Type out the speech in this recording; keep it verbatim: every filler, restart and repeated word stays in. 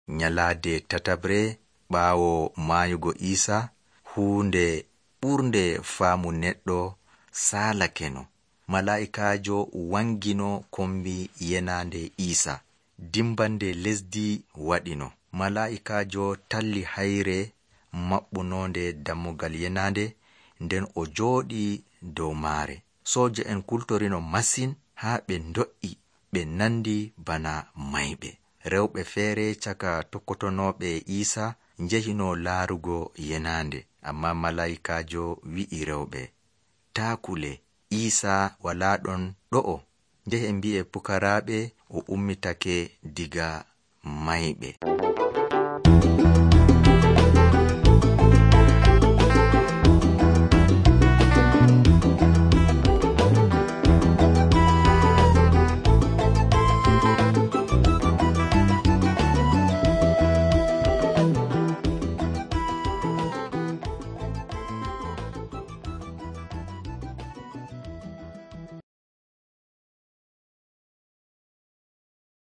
nyalaade tatabre ɓaawo maayugo Iisa, huunde ɓurnde faamu neɗɗo saalakeno. Malaa'ikaajo wangino kombi yenaande Iisa. Dimbande lesdi waɗino. Malaa'ikaajo talli hayre maɓɓunoonde dammugal yenaande, nden o jooɗii dow maare. Sooja en kultorino masin haa ɓe ndo'i, ɓe nandi bana mayɓe. Rewɓe feere caka tokkotonooɓe Iisa njehino laarugo yenaande, amma malaa'ikaajo wi'i rewɓe, taa kule, Iisa walaa ɗon ɗo'o. Njehe mbi'e pukaraaɓe o ummitake diga mayɓe.